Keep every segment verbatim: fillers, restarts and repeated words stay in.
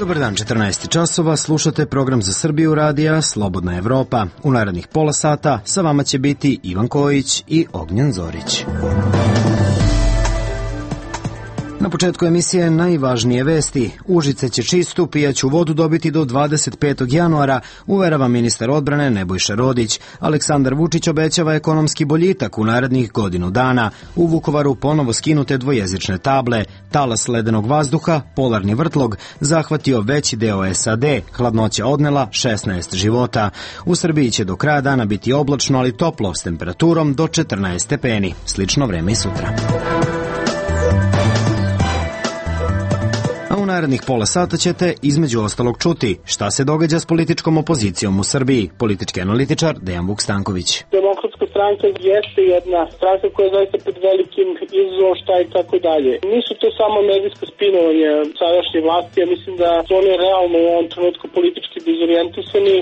Dobar dan, četrnaest časova, slušate program za Srbiju radija Slobodna Evropa. U narednih pola sata sa vama će biti Ivan Kojić i Ognjen Zorić. Na početku emisije najvažnije vesti. Užice će čistu pijaću vodu dobiti do dvadeset petog januara, uverava ministar odbrane Nebojša Rodić. Aleksandar Vučić obećava ekonomski boljitak u narednih godinu dana. U Vukovaru ponovo skinute dvojezične table. Talas ledenog vazduha, polarni vrtlog, zahvatio veći deo S A D. Hladnoća odnela šesnaest života. U Srbiji će do kraja dana biti oblačno, ali toplo, s temperaturom do četrnaest stepeni. Slično vreme i sutra. U narednih pola sata ćete između ostalog čuti šta se događa s političkom opozicijom u Srbiji. Politički analitičar Dejan Vuk-Stanković. Demokratska stranka jeste jedna stranka koja je zaista pred velikim izazovom, šta i tako dalje. Nisu to samo medijsko spinovanje sadašnje vlasti, ja mislim da su oni realno u ovom trenutku politički dezorijentisani.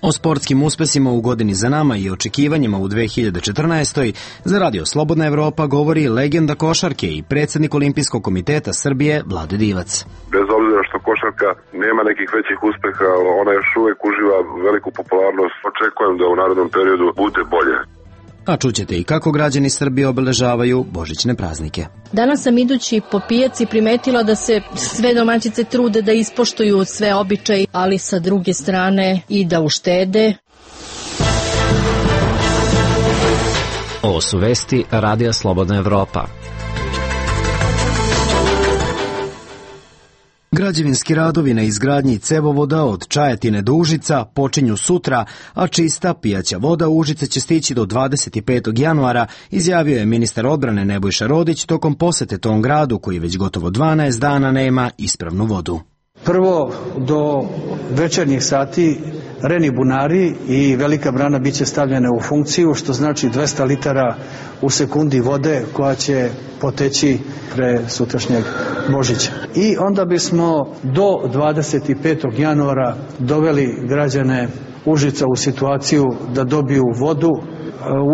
O sportskim uspesima u godini za nama i očekivanjima u dve hiljade četrnaestoj za Radio Slobodna Evropa govori legenda košarke i predsjednik Olimpijskog komiteta Srbije Vlade Divac. Bez obzira što košarka nema nekih većih uspeha, ona još uvek uživa veliku popularnost. Očekujem da u narednom periodu bude bolje. A čućete i kako građani Srbije obeležavaju božićne praznike. Danas sam idući po pijaci primetila da se sve domaćice trude da ispoštuju sve običaje, ali sa druge strane i da uštede. Ovo su vesti Radija Slobodna Evropa. Građevinski radovi na izgradnji cevovoda od Čajetine do Užica počinju sutra, a čista pijaća voda u Užice će stići do dvadeset petog januara, izjavio je ministar odbrane Nebojša Rodić tokom posete tom gradu koji već gotovo dvanaest dana nema ispravnu vodu. Prvo, do večernjih sati reni bunari i velika brana biće stavljene u funkciju, što znači dvesta litara u sekundi vode koja će poteći pre sutrašnjeg Božića. I onda bismo do dvadeset petog januara doveli građane Užica u situaciju da dobiju vodu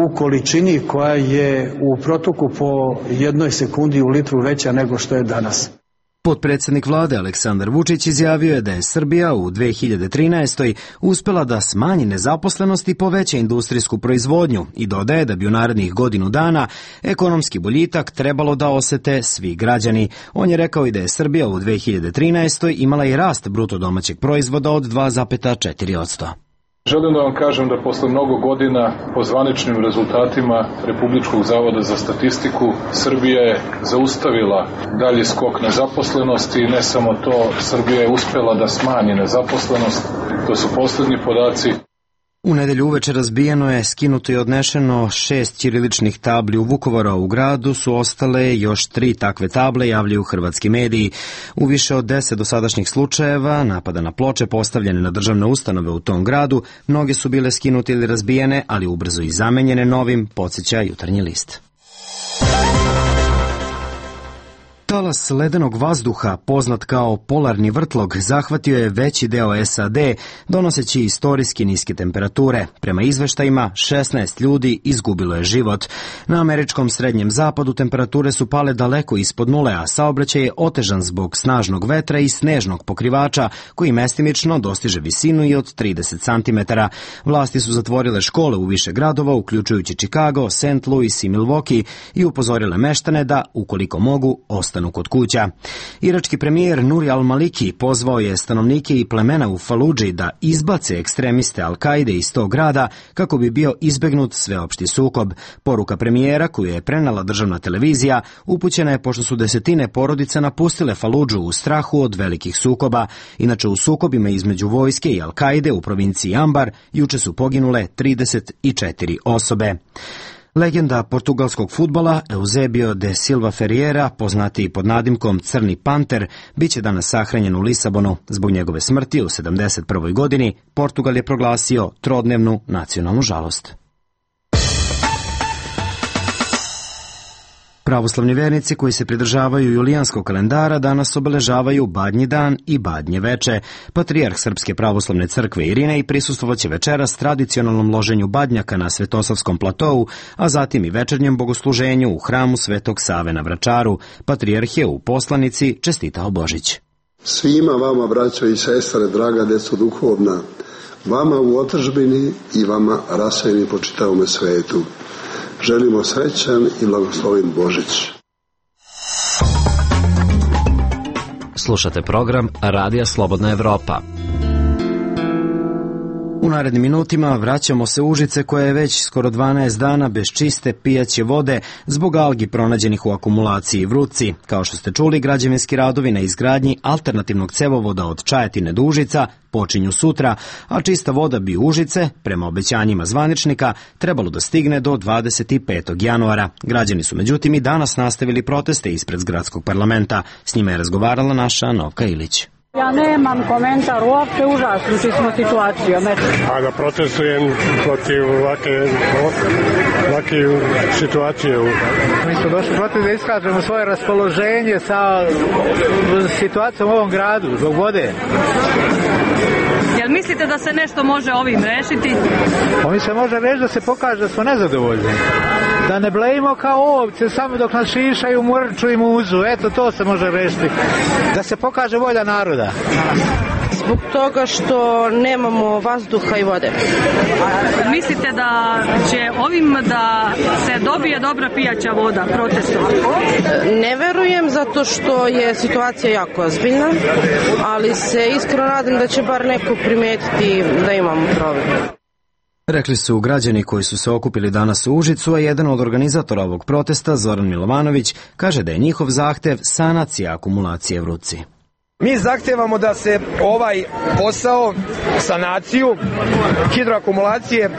u količini koja je u protoku po jednoj sekundi u litru veća nego što je danas. Potpredsjednik vlade Aleksandar Vučić izjavio je da je Srbija u dve hiljade trinaestoj uspela da smanji nezaposlenost i poveća industrijsku proizvodnju i dodaje da bi u narednih godinu dana ekonomski boljitak trebalo da osete svi građani. On je rekao i da je Srbija u dve hiljade trinaestoj imala i rast bruto domaćeg proizvoda od dva zarez četiri posto. Želim da vam kažem da posle mnogo godina po zvaničnim rezultatima Republičkog zavoda za statistiku Srbija je zaustavila dalji skok nezaposlenosti i ne samo to, Srbija je uspela da smanji nezaposlenost, to su poslednji podaci. U nedelju uveče razbijeno je, skinuto i odnešeno šest ćiriličnih tabli u Vukovaru, a u gradu su ostale još tri takve table, javljaju hrvatski mediji. U više od deset dosadašnjih slučajeva napada na ploče postavljene na državne ustanove u tom gradu, mnoge su bile skinute ili razbijene, ali ubrzo i zamenjene novim, podsjeća Jutarnji list. Talas ledenog vazduha, poznat kao polarni vrtlog, zahvatio je veći deo S A D, donoseći istorijski niske temperature. Prema izveštajima, šesnaest ljudi izgubilo je život. Na američkom srednjem zapadu temperature su pale daleko ispod nule, a saobraćaj je otežan zbog snažnog vetra i snežnog pokrivača, koji mestimično dostiže visinu i od trideset centimetara. Vlasti su zatvorile škole u više gradova, uključujući Chicago, Saint Louis i Milwaukee, i upozorile meštane da, ukoliko mogu, ostanu kod kuća. Irački premijer Nuri al-Maliki pozvao je stanovnike i plemena u Faludži da izbace ekstremiste Al-Kaide iz tog grada kako bi bio izbegnut sveopšti sukob. Poruka premijera, koju je prenela državna televizija, upućena je pošto su desetine porodica napustile Faludžu u strahu od velikih sukoba. Inače, u sukobima između vojske i Al-Kaide u provinciji Ambar juče su poginule trideset četiri osobe. Legenda portugalskog fudbala Eusebio de Silva Ferreira, poznatiji pod nadimkom Crni panter, biće danas sahranjen u Lisabonu. Zbog njegove smrti u sedamdeset prvoj godini Portugal je proglasio trodnevnu nacionalnu žalost. Pravoslavni vernici koji se pridržavaju julijanskog kalendara danas obeležavaju Badnji dan i Badnje veče. Patrijarh Srpske pravoslavne crkve Irinej prisustvovaće večeras tradicionalnom loženju badnjaka na Svetosavskom platou, a zatim i večernjem bogosluženju u hramu Svetog Save na Vračaru. Patrijarh je u poslanici čestitao Božić. Svima vama, braćo i sestre, draga deco duhovna, vama u otadžbini i vama rasejeni po čitavome svetu, želimo srećan i blagosloven Božić. Slušate program Radija Slobodna Evropa. U narednim minutima vraćamo se u Užice koja je već skoro dvanaest dana bez čiste pijaće vode zbog algi pronađenih u akumulaciji Vrutci. Kao što ste čuli, građevinski radovi na izgradnji alternativnog cevovoda od Čajetine do Užica počinju sutra, a čista voda bi u Užice, prema obećanjima zvaničnika, trebalo da stigne do dvadeset petog januara. Građani su međutim i danas nastavili proteste ispred gradskog parlamenta. S njima je razgovarala naša Novka Ilić. Ja nemam komentar, uopšte užasnuti smo situacijom. A da protestujem protiv ovake, ovake situacije. Mi smo došli protiv da iskažemo svoje raspoloženje sa situacijom u ovom gradu, zbog vode. Jel mislite da se nešto može ovim rešiti? Ovim se može reći da se pokaže da smo nezadovoljni. Da ne blejimo kao ovce, samo dok nas šišaju, murču i muzu. Eto, to se može rešiti. Da se pokaže volja naroda. Zbog toga što nemamo vazduha i vode. Mislite da će ovim da se dobije dobra pijaća voda protestom? Ne verujem, zato što je situacija jako ozbiljna, ali se iskreno nadam da će bar neko primetiti da imamo problem. Rekli su građani koji su se okupili danas u Užicu, a jedan od organizatora ovog protesta, Zoran Milovanović, kaže da je njihov zahtev sanacija akumulacije Vrutci. Mi zahtevamo da se ovaj posao, sanaciju hidroakumulacije,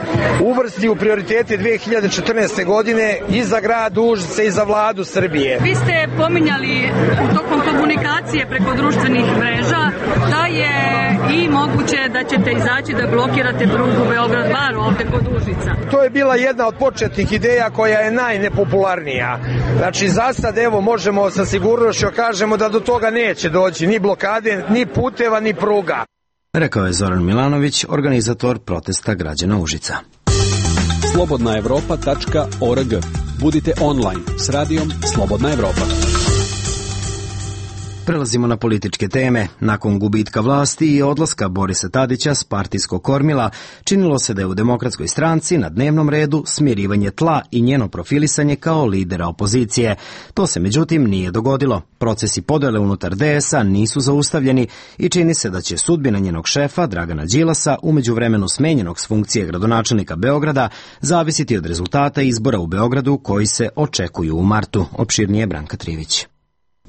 uvrsti u prioritete dve hiljade četrnaeste. godine i za grad Užice i za vladu Srbije. Vi ste pominjali u tokom komunikacije preko društvenih mreža da je i moguće da ćete izaći da blokirate prugu Beograd-Bar ovde kod Užica. To je bila jedna od početnih ideja koja je najnepopularnija. Znači, za sad, evo, možemo sa sigurnošću kažemo da do toga neće doći ni blokade, ni puteva, ni pruga. Rekao je Zoran Milanović, organizator protesta građana Užica. slobodna evropa tačka org. Budite online s radijom Slobodna Evropa. Prelazimo na političke teme. Nakon gubitka vlasti i odlaska Borisa Tadića s partijskog kormila, činilo se da je u Demokratskoj stranci na dnevnom redu smirivanje tla i njeno profilisanje kao lidera opozicije. To se međutim nije dogodilo. Procesi podele unutar D S A nisu zaustavljeni i čini se da će sudbina njenog šefa, Dragana Đilasa, u međuvremenu smenjenog s funkcije gradonačelnika Beograda, zavisiti od rezultata izbora u Beogradu koji se očekuju u martu. Opširnije Branka Trivić.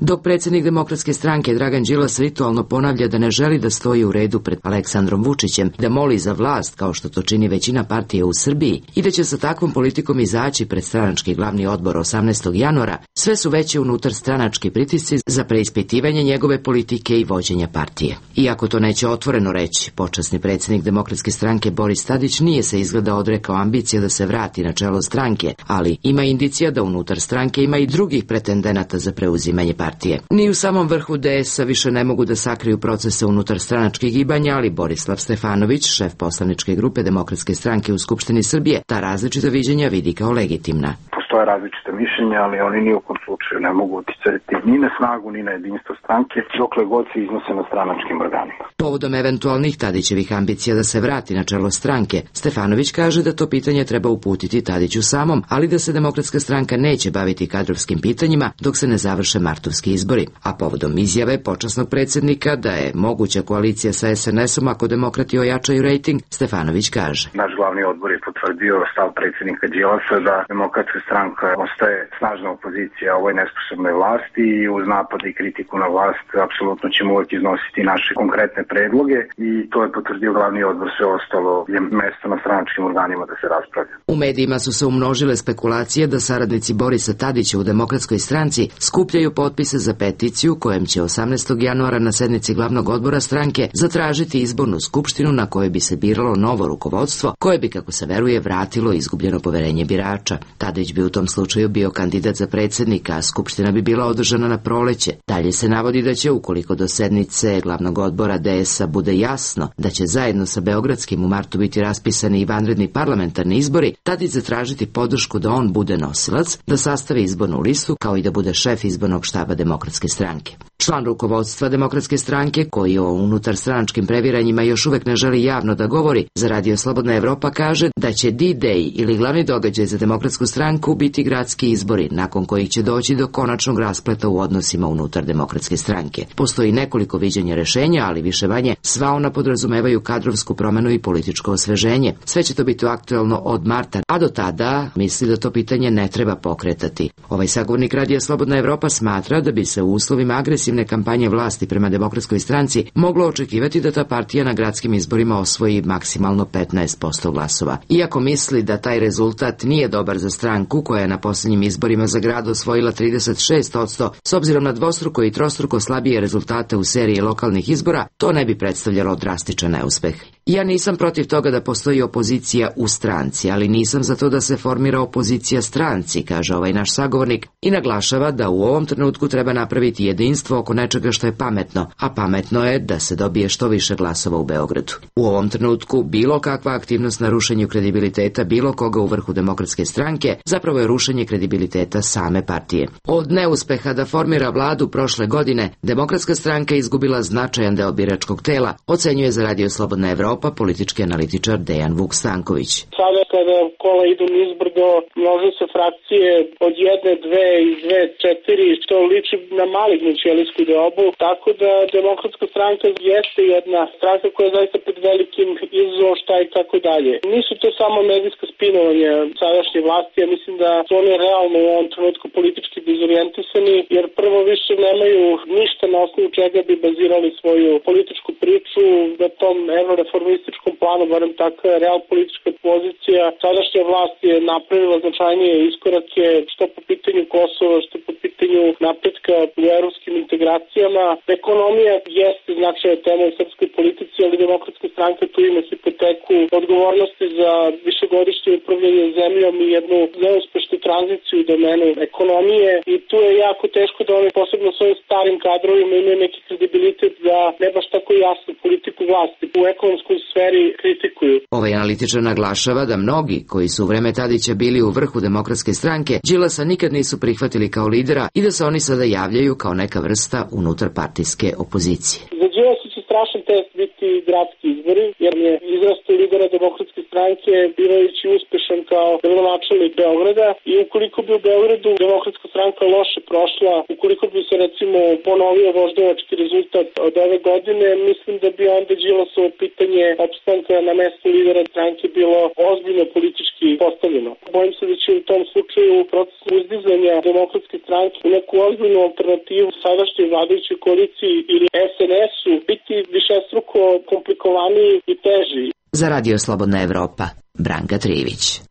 Dok predsjednik Demokratske stranke Dragan Đilas ritualno ponavlja da ne želi da stoji u redu pred Aleksandrom Vučićem, da moli za vlast kao što to čini većina partije u Srbiji i da će sa takvom politikom izaći pred stranački glavni odbor osamnaestog januara, sve su veće unutar stranački pritisci za preispitivanje njegove politike i vođenja partije. Iako to neće otvoreno reći, počasni predsjednik Demokratske stranke Boris Tadić nije se izgleda odrekao ambicije da se vrati na čelo stranke, ali ima indicija da unutar stranke ima i drugih pretendenata za preuzimanje partije. Partije. Ni u samom vrhu D S A više ne mogu da sakriju procese unutar stranačkih gibanja, ali Borislav Stefanović, šef poslaničke grupe Demokratske stranke u Skupštini Srbije, ta različita viđenja vidi kao legitimna. Postoje različite mišljenja, ali oni ni u kom slučaju ne mogu uticati ni na snagu, ni na jedinstvo stranke, dokle god se iznose na stranačkim organima. Povodom eventualnih Tadićevih ambicija da se vrati na čelo stranke, Stefanović kaže da to pitanje treba uputiti Tadiću samom, ali da se Demokratska stranka neće baviti kadrovskim pitanjima dok se ne završe martovski izbori. A povodom izjave počasnog predsjednika da je moguća koalicija sa S N S-om ako demokrati ojačaju rejting, Stefanović kaže. Naš glavni odbor je potvrdio stav predsjednika Đilasa da Demokratska stranka ostaje snažna opozicija ovoj nesposobnoj vlasti i uz napade i kritiku na vlast apsolutno ćemo uvijek iznositi naše konkretne predloge i to je potvrdio glavni odbor, sve ostalo je mesto na stranačkim organima da se raspravlja. U medijima su se umnožile spekulacije da saradnici Borisa Tadića u Demokratskoj stranci skupljaju potpise za peticiju kojem će osamnaestog januara na sednici glavnog odbora stranke zatražiti izbornu skupštinu na kojoj bi se biralo novo rukovodstvo koje bi, kako se veruje, vratilo izgubljeno poverenje birača. Tadić bi u tom slučaju bio kandidat za predsjednika, a skupština bi bila održana na proleće. Dalje se navodi da će, ukoliko do sednice glavnog odbora D S A bude jasno da će zajedno sa Beogradskim u martu biti raspisani i vanredni parlamentarni izbori, Tadić zatražiti podršku da on bude nosilac, da sastavi izbornu listu, kao i da bude šef izbornog štaba Demokratske stranke. Član rukovodstva Demokratske stranke, koji o unutar stranačkim previranjima još uvek ne želi javno da govori, za Radio Slobodna Evropa kaže da će D-Day ili glavni događaj za Demokratsku stranku biti gradski izbori, nakon kojih će doći do konačnog raspleta u odnosima unutar Demokratske stranke. Postoji nekoliko viđenja rešenja, ali više manje sva ona podrazumevaju kadrovsku promenu i političko osveženje. Sve će to biti aktuelno od marta, a do tada misli da to pitanje ne treba pokretati. Ovaj sagovornik Radija Slobodna Evropa smatra da bi se u uslovima agresivne kampanje vlasti prema Demokratskoj stranci moglo očekivati da ta partija na gradskim izborima osvoji maksimalno petnaest posto glasova. Iako misli da taj rezultat nije dobar za stranku koja je na posljednjim izborima za grad osvojila trideset šest posto, s obzirom na dvostruko i trostruko slabije rezultate u seriji lokalnih izbora, to ne bi predstavljalo drastičan neuspeh. Ja nisam protiv toga da postoji opozicija u stranci, ali nisam za to da se formira opozicija stranci, kaže ovaj naš sagovornik, i naglašava da u ovom trenutku treba napraviti jedinstvo oko nečega što je pametno, a pametno je da se dobije što više glasova u Beogradu. U ovom trenutku bilo kakva aktivnost na rušenju kredibiliteta bilo koga u vrhu Demokratske stranke zapravo je rušenje kredibiliteta same partije. Od neuspeha da formira vladu prošle godine, Demokratska stranka izgubila značajan deo biračkog tela, ocenjuje za Radio Slobodna Evropa politički analitičar Dejan Vuk Stanković. Sada kada kola idu nizbrdo, množe se frakcije od jedne, dve i dve, četiri, što liči na malignu ćelijsku deobu, tako da Demokratska stranka jeste jedna stranka koja je zaista pred velikim izazovom šta i tako dalje. Nisu to samo medijska spinovanja sadašnje vlasti, ja mislim da su oni realno u ovom trenutku politički dezorijentisani, jer prvo više nemaju ništa na osnovu čega bi bazirali svoju političku priču na tom evroreformističkom planu, barem takva je real politička pozicija. Sadašnja vlast je napravila značajnije iskorake što po pitanju Kosova, što po pitanju napretka u evropskim integracijama. Ekonomija jeste značajna tema u srpskoj politici, ali Demokratska stranka tu ima hipoteku odgovornosti za višegodišnje upravljanje zemljom i jednu neuspešnu tranziciju u domenu ekonomije i tu je jako teško da oni posebno svojim starim kadrovima imaju neki kredibilitet da ne baš tako jasnu politiku vlasti u ekonomskoj sferi kritikuju. Ovaj analitičar naglašava da mnogi koji su u vreme Tadića bili u vrhu Demokratske stranke Đilasa nikad nisu prihvatili kao lidera i da se oni sada javljaju kao neka vrsta unutarpartijske opozicije. Za Đilasa će strašan test biti gradski izbori, jer je izrastao lidera Demokratske stranke bivajući uspešan kao gradonačelnik Beograda i ukoliko bi u Beogradu Demokratska stranka loše prošla, ukoliko bi se recimo ponovio voždovački rezultat od ove godine, mislim da bi onda Đilasovo pitanje opstanka na mestu lidera stranke bilo ozbiljno politički postavljeno. Bojim se da će u tom slučaju proces uzdizanja Demokratske stranke u neku ozbiljnu alternativu sadašnjoj vladajućoj koaliciji ili S N S-u biti višestruko komplikovaniji i teži. Za Radio Slobodna Evropa, Branka Trivić.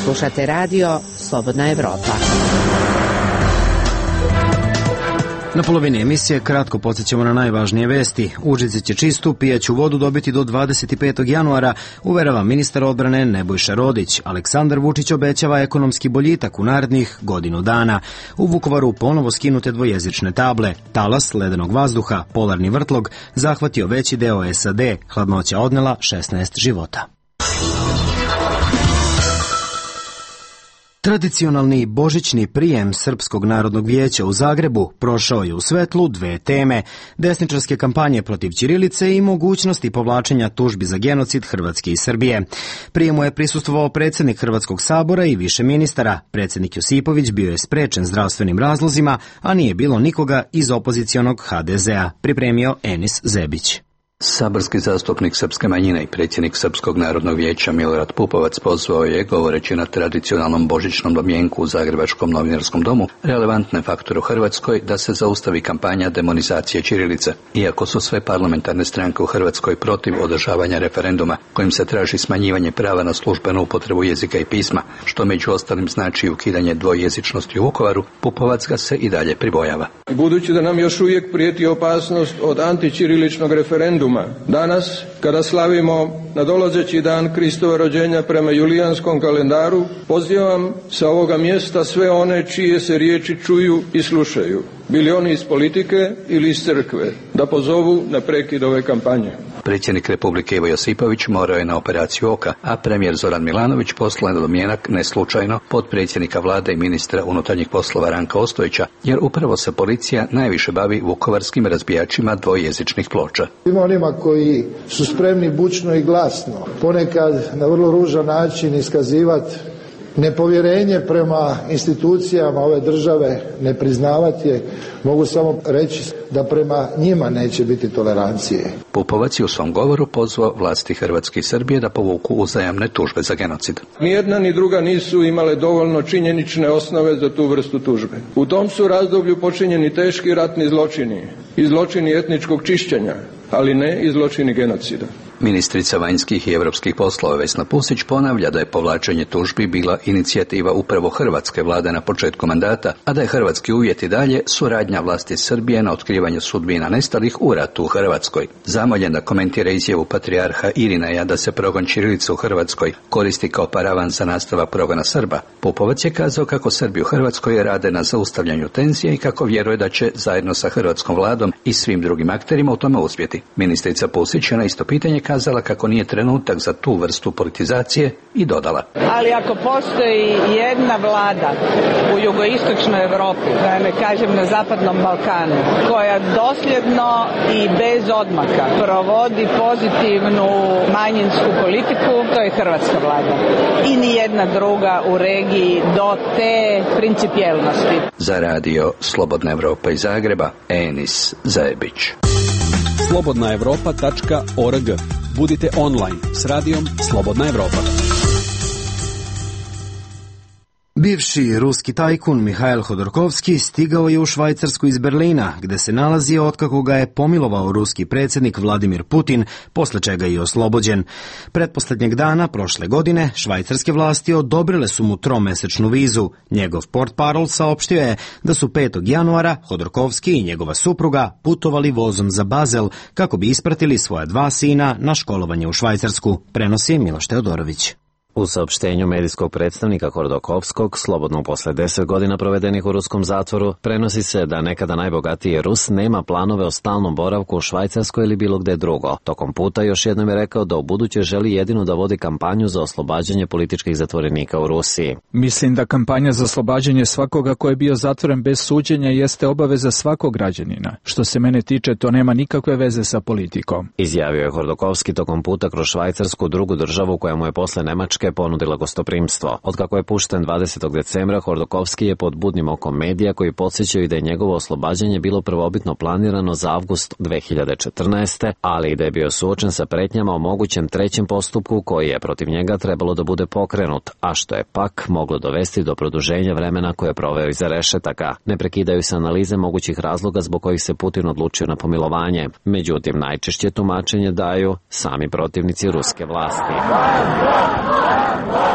Slušate Radio Slobodna Evropa. Na polovini emisije kratko podsjećamo na najvažnije vesti. Užice će čistu pijaću vodu dobiti do dvadeset petog januara, uverava ministar odbrane Nebojša Rodić. Aleksandar Vučić obećava ekonomski boljitak u narednih godinu dana. U Vukovaru ponovo skinute dvojezične table. Talas ledenog vazduha, polarni vrtlog, zahvatio veći deo S A D. Hladnoća odnela šesnaest života. Tradicionalni božićni prijem Srpskog narodnog vijeća u Zagrebu prošao je u svetlu dve teme, desničarske kampanje protiv ćirilice i mogućnosti povlačenja tužbi za genocid Hrvatske i Srbije. Prijemu je prisustvovao predsjednik Hrvatskog sabora i više ministara. Predsjednik Josipović bio je sprečen zdravstvenim razlozima, a nije bilo nikoga iz opozicionog H D Z A, pripremio Enis Zebić. Saborski zastupnik srpske manjine i predsjednik Srpskog narodnog vijeća Milorad Pupovac pozvao je, govoreći na tradicionalnom božićnom domjenku u Zagrebačkom novinarskom domu, relevantne faktore u Hrvatskoj da se zaustavi kampanja demonizacije ćirilice. Iako su sve parlamentarne stranke u Hrvatskoj protiv održavanja referenduma kojim se traži smanjivanje prava na službenu upotrebu jezika i pisma, što među ostalim znači ukidanje dvojezičnosti u Vukovaru, Pupovac ga se i dalje pribojava. Budući da nam još uvijek prijeti opasnost od antićiriličnog referenduma jubilejuma, danas kada slavimo nadolazeći dan Kristova rođenja prema julijanskom kalendaru, pozivam sa ovoga mjesta sve one čije se riječi čuju i slušaju, bili oni iz politike ili iz crkve, da pozovu na prekid ove kampanje. Predsjednik Republike Ivo Josipović morao je na operaciju oka, a premijer Zoran Milanović poslao je na domjenak neslučajno potpredsjednika vlade i ministra unutarnjih poslova Ranka Ostojića, jer upravo se policija najviše bavi vukovarskim razbijačima dvojezičnih ploča. Ima onima koji su spremni bučno i glasno, ponekad na vrlo ružan način iskazivati nepovjerenje prema institucijama ove države, ne priznavati je, mogu samo reći da prema njima neće biti tolerancije. Pupovac je u svom govoru pozvao vlasti Hrvatske i Srbije da povuku uzajamne tužbe za genocid. Ni jedna ni druga nisu imale dovoljno činjenične osnove za tu vrstu tužbe. U tom su razdoblju počinjeni teški ratni zločini i zločini etničkog čišćenja, ali ne i zločini genocida. Ministrica vanjskih i europskih poslova Vesna Pusić ponavlja da je povlačenje tužbi bila inicijativa upravo hrvatske vlade na početku mandata, a da je hrvatski uvjet i dalje suradnja vlasti Srbije na otkrivanju sudbina nestalih u ratu u Hrvatskoj. Zamoljen da komentira izjavu patrijarha Irineja da se progon ćirilice u Hrvatskoj koristi kao paravan za nastavak progona Srba, Pupovac je kazao kako Srbi u Hrvatskoj rade na zaustavljanju tenzije i kako vjeruje da će zajedno sa hrvatskom vladom i svim drugim akterima u tome uspjeti. Ministrica Pusić je na isto pitanje kazala kako nije trenutak za tu vrstu politizacije i dodala: ali ako postoji jedna vlada u jugoistočnoj Europi, da ne kažem na zapadnom Balkanu, koja dosljedno i bez odmaka provodi pozitivnu manjinsku politiku, to je hrvatska vlada. I ni jedna druga u regiji do te principijelnosti. Za radio Slobodna Evropa iz Zagreba, Enis Zajebić. slobodna evropa tačka org. Budite online s radijom Slobodna Evropa. Bivši ruski tajkun Mihail Hodorkovski stigao je u Švajcarsku iz Berlina, gde se nalazio otkako ga je pomilovao ruski predsjednik Vladimir Putin, posle čega je oslobođen. Pretposlednjeg dana prošle godine švajcarske vlasti odobrile su mu tromesečnu vizu. Njegov portparol saopštio je da su petog januara Hodorkovski i njegova supruga putovali vozom za Bazel kako bi ispratili svoja dva sina na školovanje u Švajcarsku, prenosi Miloš Teodorović. U saopštenju medijskog predstavnika Hodorkovskog, slobodno posle deset godina provedenih u ruskom zatvoru, prenosi se da nekada najbogatiji Rus nema planove o stalnom boravku u Švajcarskoj ili bilo gde drugo. Tokom puta još jednom je rekao da u buduće želi jedino da vodi kampanju za oslobađanje političkih zatvorenika u Rusiji. Mislim da kampanja za oslobađanje svakoga ko je bio zatvoren bez suđenja jeste obaveza svakog građanina. Što se mene tiče, to nema nikakve veze sa politikom. Izjavio je Hodorkovski tokom puta kroz Švajcarsku, drugu državu koja mu je posle Nemačke ponudila gostoprimstvo. Otkako je pušten dvadesetog decembra, Hodorkovski je pod budnim okom medija koji podsjećaju da je njegovo oslobađanje bilo prvobitno planirano za avgust dve hiljade četrnaeste. ali i da je bio suočen sa pretnjama o mogućem trećem postupku koji je protiv njega trebalo da bude pokrenut, a što je pak moglo dovesti do produženja vremena koje je proveo iza rešetaka. Ne prekidaju se analize mogućih razloga zbog kojih se Putin odlučio na pomilovanje. Međutim, najčešće tumačenje daju sami protivnici ruske vlasti.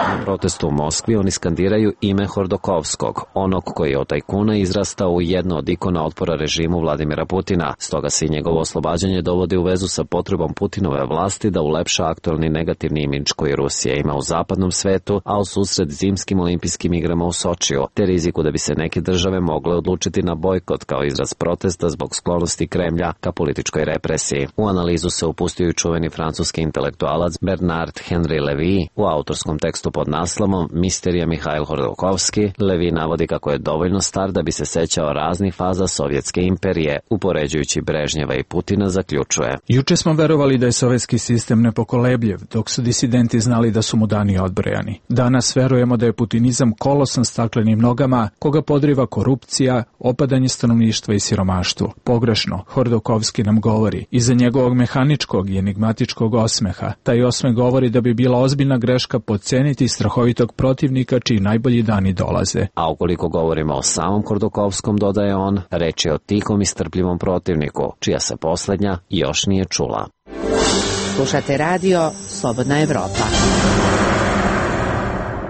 Na protestu u Moskvi oni skandiraju ime Hodorkovskog, onog koji je od tajkuna izrastao u jedno od ikona otpora režimu Vladimira Putina. Stoga se i njegovo oslobađanje dovodi u vezu sa potrebom Putinove vlasti da ulepša aktualni negativni imidž koji Rusija ima u zapadnom svetu, a u susret zimskim olimpijskim igrama u Sočiju, te riziku da bi se neke države mogle odlučiti na bojkot kao izraz protesta zbog sklonosti Kremlja ka političkoj represiji. U analizu se upustio i čuveni francuski intelektualac Bernard Henri Lévy. U autorskom tekstu pod naslovom Misterija Mihail Hodorkovski, Lévy navodi kako je dovoljno star da bi se sećao raznih faza sovjetske imperije, upoređujući Brežnjeva i Putina zaključuje: Juče smo verovali da je sovjetski sistem nepokolebljiv, dok su disidenti znali da su mu dani odbrojani. Danas verujemo da je putinizam kolosan staklenim nogama, koga podriva korupcija, opadanje stanovništva i siromaštvo. Pogrešno, Hodorkovski nam govori, iza njegovog mehaničkog i enigmatičkog osmeha. Taj osmeh govori da bi bila ozbiljna greška podceniti strahovitog protivnika čiji najbolji dani dolaze. A ukoliko govorimo o samom Hodorkovskom, dodaje on, reč je o tihom i strpljivom protivniku, čija se poslednja još nije čula. Slušate radio Slobodna Evropa.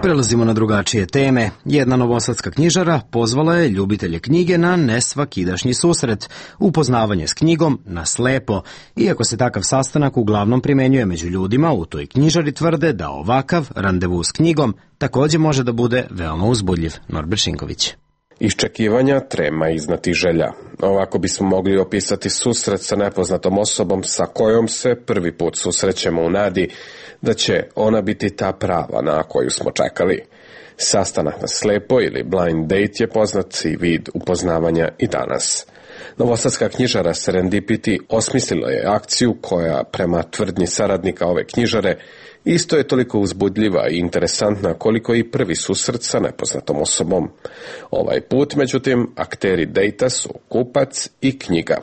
Prelazimo na drugačije teme. Jedna novosadska knjižara pozvala je ljubitelje knjige na nesvakidašnji susret, upoznavanje s knjigom na slepo. Iako se takav sastanak uglavnom primenjuje među ljudima, u toj knjižari tvrde da ovakav randevu s knjigom takođe može da bude veoma uzbudljiv. Norbert Šinković. Iščekivanja, trema i znatiželja. Ovako bismo mogli opisati susret sa nepoznatom osobom sa kojom se prvi put susrećemo u nadi da će ona biti ta prava na koju smo čekali. Sastanak na slepo ili blind date je poznat i vid upoznavanja i danas. Novosadska knjižara Serendipity osmislila je akciju koja, prema tvrdnji saradnika ove knjižare, isto je toliko uzbudljiva i interesantna koliko i prvi susret sa nepoznatom osobom. Ovaj put, međutim, akteri dejta su kupac i knjiga.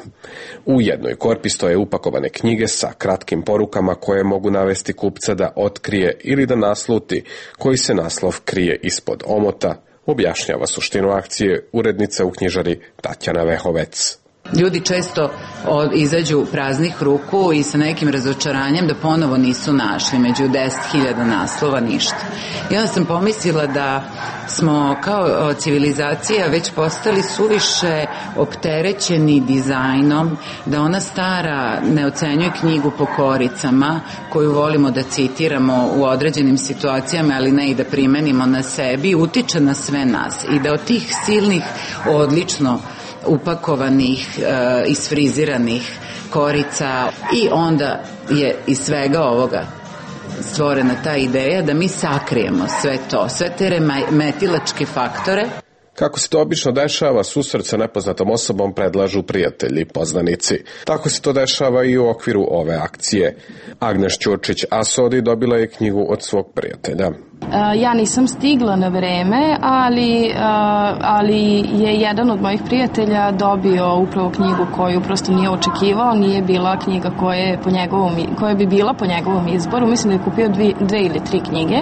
U jednoj korpi stoje upakovane knjige sa kratkim porukama koje mogu navesti kupca da otkrije ili da nasluti koji se naslov krije ispod omota, objašnjava suštinu akcije urednica u knjižari Tatjana Vehovec. Ljudi često od, izađu praznih ruku i sa nekim razočaranjem da ponovo nisu našli među deset hiljada naslova ništa. I onda sam pomislila da smo kao civilizacija već postali suviše opterećeni dizajnom, da ona stara ne ocenjuje knjigu po koricama koju volimo da citiramo u određenim situacijama, ali ne i da primenimo na sebi, utiče na sve nas i da od tih silnih, odlično upakovanih, e, isfriziranih korica i onda je iz svega ovoga stvorena ta ideja da mi sakrijemo sve to, sve te remetilačke faktore. Kako se to obično dešava, susret sa nepoznatom osobom predlažu prijatelji, poznanici. Tako se to dešava i u okviru ove akcije. Agnes Ćurčić-Asodi dobila je knjigu od svog prijatelja. Ja nisam stigla na vreme, ali, ali je jedan od mojih prijatelja dobio upravo knjigu koju prosto nije očekivao, nije bila knjiga koja, je po njegovom, koja bi bila po njegovom izboru. Mislim da je kupio dvije, dve ili tri knjige.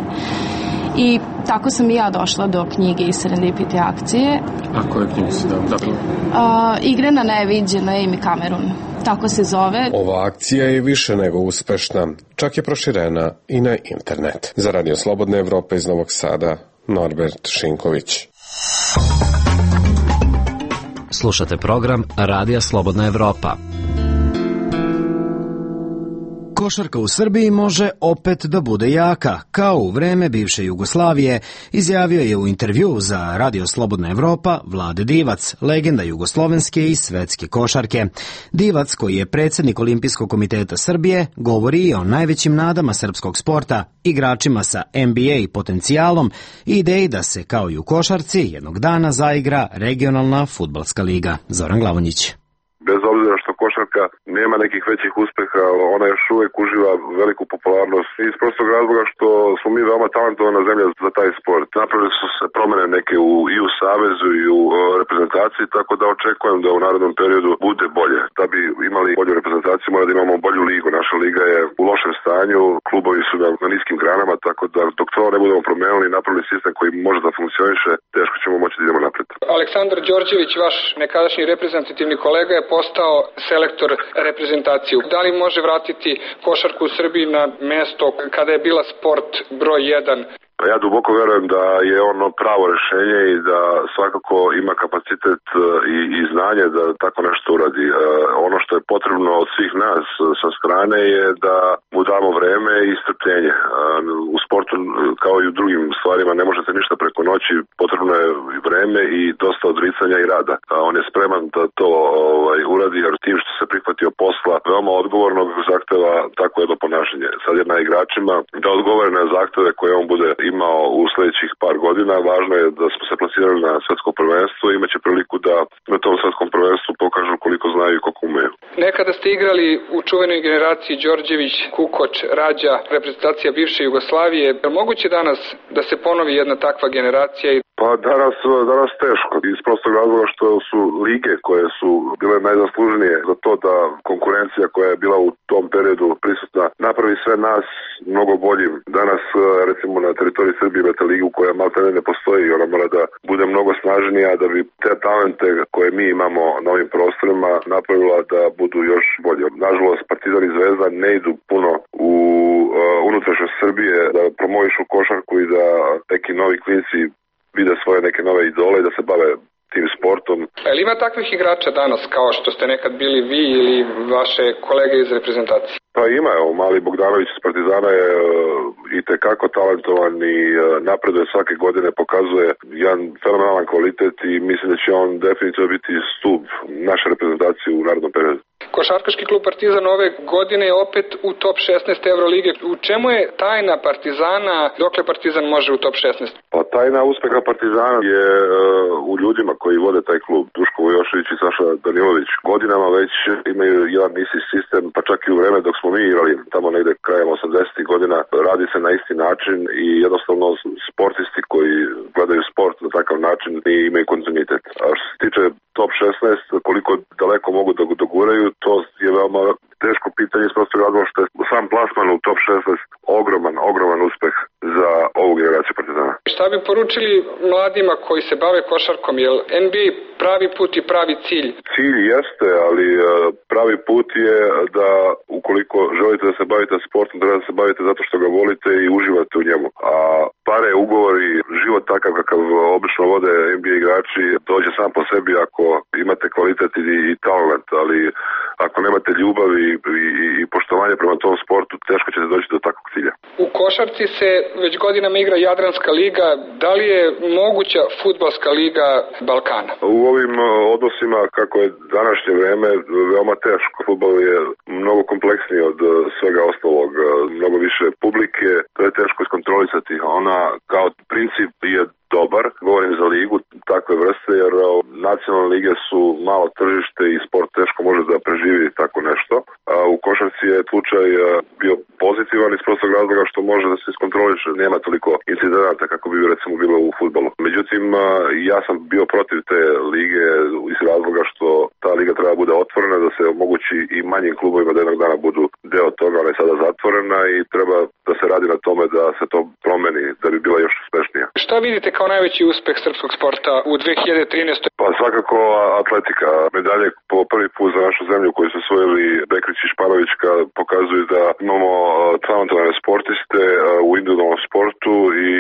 I tako sam i ja došla do knjige iz Serendipity akcije. A koju knjigu si dobila? Uh, Igre na neviđeno, Amy Cameron. Tako se zove. Ova akcija je više nego uspešna, čak je proširena i na internet. Za Radio Slobodne Evrope iz Novog Sada, Norbert Šinković. Slušate program Radija Slobodna Evropa. Košarka u Srbiji može opet da bude jaka, kao u vreme bivše Jugoslavije, izjavio je u intervju za Radio Slobodna Evropa Vlade Divac, legenda jugoslovenske i svetske košarke. Divac, koji je predsjednik Olimpijskog komiteta Srbije, govori o najvećim nadama srpskog sporta, igračima sa N B A potencijalom i ideji da se, kao i u košarci, jednog dana zaigra regionalna fudbalska liga. Zoran Glavonjić. Bez obzira što košarka nema nekih većih uspeha, ona još uvijek uživa veliku popularnost iz prostog razloga što smo mi veoma talentovana zemlja za taj sport. Napravili su se promene neke u, i u savezu i u o, reprezentaciji, tako da očekujem da u narednom periodu bude bolje. Da bi imali bolju reprezentaciju mora da imamo bolju ligu. Naša liga je u lošem stanju, klubovi su na, na niskim granama, tako da dok to ne budemo promenili i napravili sistem koji može da funkcioniše, teško ćemo moći da idemo napred. Aleksandar Đorđević, vaš nekadašnji reprezentativni kolega, je postao selektor reprezentaciju. Da li može vratiti košarku u Srbiji na mesto kada je bila sport broj jedan? Ja duboko verujem da je ono pravo rešenje i da svakako ima kapacitet i, i znanje da tako nešto uradi. Ono što je potrebno od svih nas sa strane je da mu damo vreme i strpljenje. U sportu, kao i u drugim stvarima, ne možete ništa preko noći, potrebno je vreme i dosta odricanja i rada. On je spreman da to ovaj, uradi, jer tim što se prihvatio posla veoma odgovornog zahteva tako jedno ponašanje. Sad je na igračima da odgovore na zahteve koje on bude imao u sljedećih par godina. Važno je da smo se plasirali na svetsko prvenstvo i imaće priliku da na tom svetskom prvenstvu pokažu koliko znaju i koliko umeju. Nekada ste igrali u čuvenoj generaciji Đorđević, Kukoč, Rađa, reprezentacija bivše Jugoslavije. Je moguće danas da se ponovi jedna takva generacija? Pa danas, danas teško, iz prostog razloga što su lige koje su bile najzaslužnije za to da konkurencija koja je bila u tom periodu prisutna napravi sve nas mnogo boljim. Danas, recimo na teritoriji Srbije imate ligu koja malta ne postoji i ona mora da bude mnogo snažnija da bi te talente koje mi imamo na ovim prostorima napravila da budu još bolje. Nažalost, Partizan i Zvezda ne idu puno u unutrašnjost Srbije, da promovišu košarku i da neki novi klinci vide svoje neke nove idole i da se bave tim sportom. Ali ima takvih igrača danas kao što ste nekad bili vi ili vaše kolege iz reprezentacije? Pa ima, evo, mali Bogdanović iz Partizana je i tekako talentovan i napreduje svake godine, pokazuje jedan fenomenalan kvalitet i mislim da će on definitivno biti stup naše reprezentacije u narednom periodu. Košarkaški klub Partizan ove godine je opet u top šesnaest Evrolige. U čemu je tajna Partizana, dokle Partizan može u top šesnaest? Pa tajna uspeha Partizana je uh, u ljudima koji vode taj klub. Duško Vojošević i Saša Danilović godinama već imaju jedan isti sistem, pa čak i u vreme dok smo mi igrali tamo negde krajem osamdesetih godina, radi se na isti način i jednostavno sportisti koji gledaju sport na takav način i imaju kontinuitet. A što se tiče top šesnaest, koliko daleko mogu da doguraju, to je veoma teško pitanje iz prostog razloga što je sam plasman u top šesnaest ogroman, ogroman uspeh za ovu generaciju Partizana. Šta bi poručili mladima koji se bave košarkom? Je N B A pravi put i pravi cilj? Cilj jeste, ali pravi put je da ukoliko želite da se bavite sportom, treba da se bavite zato što ga volite i uživate u njemu. A pare, ugovori, život takav kakav obično vode N B A igrači dođe sam po sebi ako imate kvalitet i, i talent, ali ako nemate ljubav i, i, i poštovanje prema tom sportu, teško ćete doći do takvog cilja. U košarci se već godinama igra Jadranska liga. Da li je moguća fudbalska liga Balkana? U ovim odnosima, kako je današnje vreme, veoma teško. Fudbal je mnogo kompleksniji od svega ostalog. Mnogo više publike, to je teško iskontrolisati. Ona kao princip je dobar, govorim za ligu takve vrste, jer nacionalne lige su malo tržište i sport teško može da preživi tako nešto. A u košarci je slučaj bio pozitivan iz prostog razloga što može da se iskontroliše. Nema toliko incidenata kako bi recimo bilo u fudbalu. Međutim, ja sam bio protiv te lige iz razloga što ta liga treba bude otvorena, da se omogući i manjim klubovima da jednog dana budu deo toga, ali je sada zatvorena i treba da se radi na tome da se to promeni, da bi bila još uspešnija. Šta vidite kao najveći uspeh srpskog sporta u dve hiljade trinaestoj? Pa svakako atletika. Medalje po prvi put za našu zemlju koju su osvojili Bekrić i Španovićka pokazuju da imamo talentovane sportiste u individualnom sportu i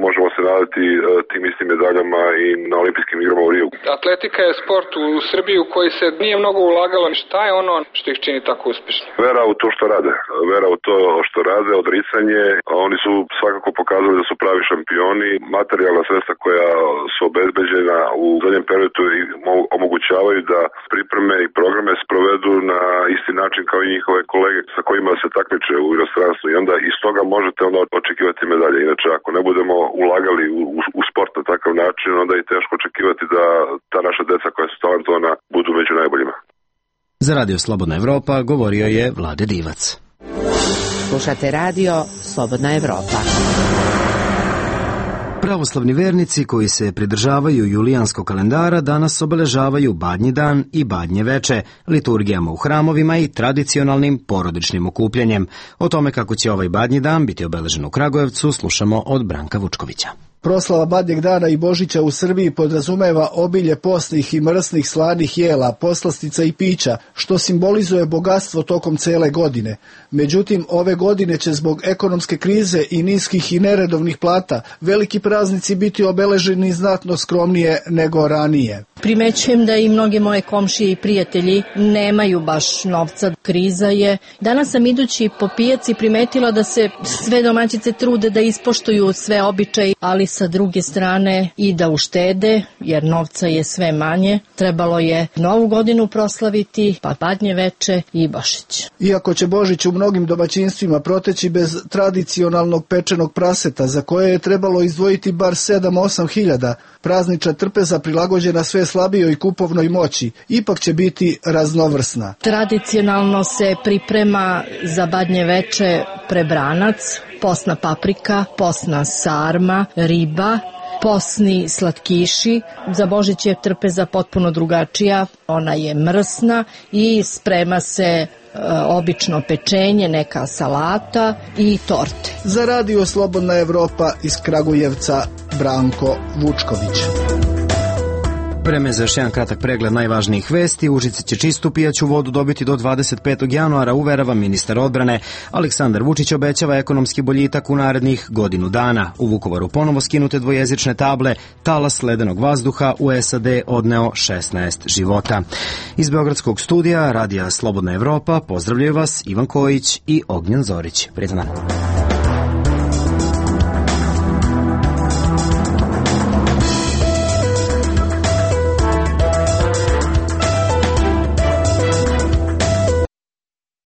možemo se nadati tim istim medaljama i na olimpijskim igrama u Riju. Atletika je sport u Srbiji u koji se nije mnogo ulagalo. Šta je ono što ih čini tako uspešno? Vera u to što rade. Vera u to što rade, odricanje. Oni su svakako pokazali da su pravi šampioni. Materijalna sredstva koja su obezbeđena u zadnjem periodu i omogućavaju da pripreme i programe sprovedu na isti način kao i njihove kolege sa kojima se takmiče u inostranstvu i onda iz toga možete onda očekivati medalje. Inače, ako ne budemo ulagali u, u, u sport na takav način, onda je teško očekivati da ta naša deca koja su talentovana budu među najboljima. Za Radio Slobodna Evropa govorio je Vlade Divac. Slušate radio Slobodna Evropa. Pravoslavni vernici koji se pridržavaju julijanskog kalendara danas obeležavaju Badnji dan i Badnje veče, liturgijama u hramovima i tradicionalnim porodičnim okupljanjem. O tome kako će ovaj Badnji dan biti obeležen u Kragujevcu slušamo od Branka Vučkovića. Proslava Badnjeg dana i Božića u Srbiji podrazumeva obilje postnih i mrsnih slanih jela, poslastica i pića, što simbolizuje bogatstvo tokom cele godine. Međutim, ove godine će zbog ekonomske krize i niskih i neredovnih plata veliki praznici biti obeleženi znatno skromnije nego ranije. Primećujem da i mnoge moje komšije i prijatelji nemaju baš novca. Kriza je. Danas sam idući po pijaci primetila da se sve domaćice trude da ispoštuju sve običaje, ali sa druge strane i da uštede, jer novca je sve manje. Trebalo je Novu godinu proslaviti, pa Badnje veče i Božić. Iako će Božić u mnogim domaćinstvima proteći bez tradicionalnog pečenog praseta, za koje je trebalo izdvojiti bar sedam osam hiljada, praznična trpeza prilagođena sve slabijoj kupovnoj moći, ipak će biti raznovrsna. Tradicionalno se priprema za Badnje veče prebranac, posna paprika, posna sarma, riba, posni slatkiši. Za Božić je trpeza potpuno drugačija, ona je mrsna i sprema se e, obično pečenje, neka salata i torte. Za Radio Slobodna Evropa iz Kragujevca, Branko Vučković. Vreme za još jedan kratak pregled najvažnijih vesti. Užice će čistu pijaću vodu dobiti do dvadeset petog januara, uverava ministar odbrane. Aleksandar Vučić obećava ekonomski boljitak u narednih godinu dana. U Vukovaru ponovo skinute dvojezične table, talas ledenog vazduha u S A D odneo šesnaest života. Iz Beogradskog studija Radija Slobodna Evropa pozdravljaju vas Ivan Kojić i Ognjen Zorić. Prijetan dan.